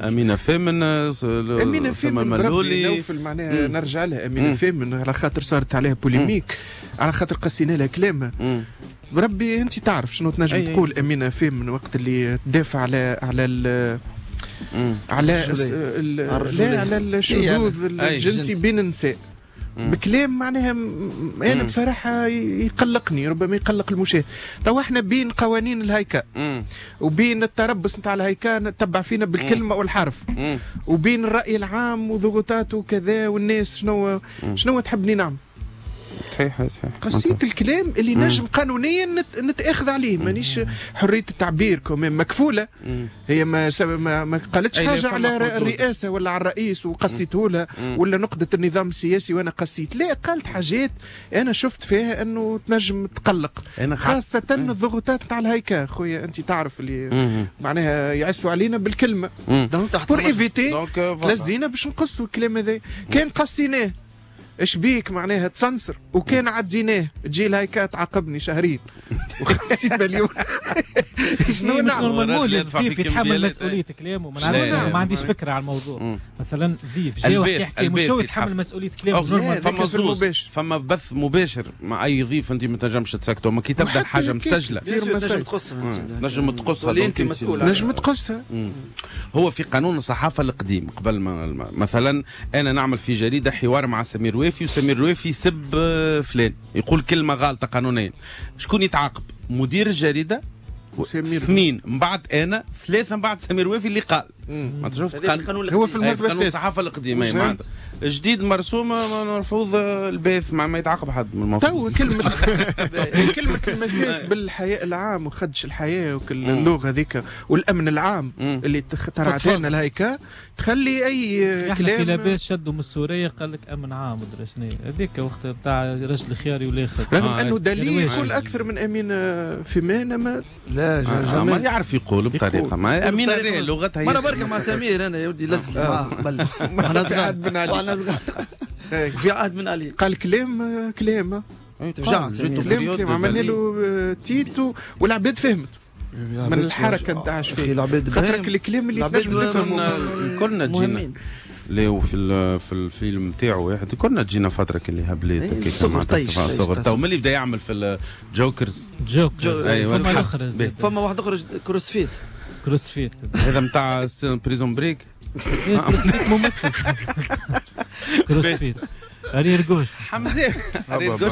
امينه فامن، امينه فامن ملولي معناها نرجع لها امينه فامن على خاطر صارت عليها polémique، على خاطر قصينا لها كلامها. بربي انت تعرف شنو تنجم تقول امينه فامن وقت اللي تدافع على على على على الشذوذ الجنسي بين النساء بكلام معناها انا بصراحة يقلقني، ربما يقلق المشاهد. تو احنا بين قوانين الهيكا وبين التربص نتاع الهيكا نتبع فينا بالكلمة والحرف، وبين الراي العام وضغوطاته وكذا، والناس شنو تحبني نعمل؟ صحيح صحيح. قصيت الكلام اللي نجم قانونيا نتاخذ عليه، مانيش حرية التعبير quand même مكفوله. هي ما قالتش حاجة على الرئاسة ولا على الرئيس وقصيته لها، ولا نقده النظام السياسي وانا قصيت، لا قالت حاجات انا شفت فيها انه تنجم تقلق، خاصة الضغوطات نتاع الهيكا. خويا انت تعرف اللي معناها يعسوا علينا بالكلمة، donc pour éviter لزينا باش نقصوا الكلام هذا. كان قصيناه اش بيك معناها تسنسر، وكان عديناه تجي الهيكا تعاقبني شهرين و50 مليون. شنو نعمل؟ الضيف يتحمل مسؤولية كلامه. ما نعرفش، ما عنديش فكرة على الموضوع. مثلا ضيف جاي وقت يحكي مش هو يتحمل مسؤولية كلامه. فما زوز، فما بث مباشر مع اي ضيف انت ما تنجمش تسكته، ما كي تبدا حاجة مسجله تنجم تقصها، نجم تقصها، انت مسؤول، نجم تقصها. هو في قانون الصحافة القديم قبل ما مثلا انا نعمل في جريدة حوار مع سمير وافي، وسمير وافي يسب فلان، يقول كلمة غالطه قانونيا، شكون يتعاقب؟ مدير الجريدة، اثنين من بعد انا، ثلاثة من بعد سمير وافي اللي قال. ما شفت قانون هو في المرتبة قانون الصحافة القديمة معناتها جديد مرسوم مرفوض الباث ما يتعاقب حد من المفروض. تو كلمة المساس بالحياء العام وخدش الحياة وكل اللغة هذيك والامن العام اللي اخترعت لنا الهيكا تخلي اي كلام. في لاباس شدوا من السورية قال لك امن عام ودرا شنو هذيك وقت نتاع رجل الخياري والاخر، رغم انه دليل يقول اكثر من امين فيمان. ما لا ما يعرف يقول بطريقة ما امين لغتها. انا بركة مع سمير، انا يا ودي لزق معاه قبل وانا صغير، وانا صغير في عهد من علي قال كلام كلام تفجع كلام، عملنا له تيتو والعباد فهمت من الحركة نتاع شفيق، خاطر الكلام اللي تنجم تفهمه كلنا تجينا ليه في الفيلم نتاعو واحد كنا تجينا فترة كلي هبليت صغر تو ملي بدا يعمل في الجوكرز جوكر. ايوه فما واحد اخرج CrossFit، CrossFit هذا نتاع Prison Break، CrossFit ممثل CrossFit arrière gauche حمزة arrière gauche.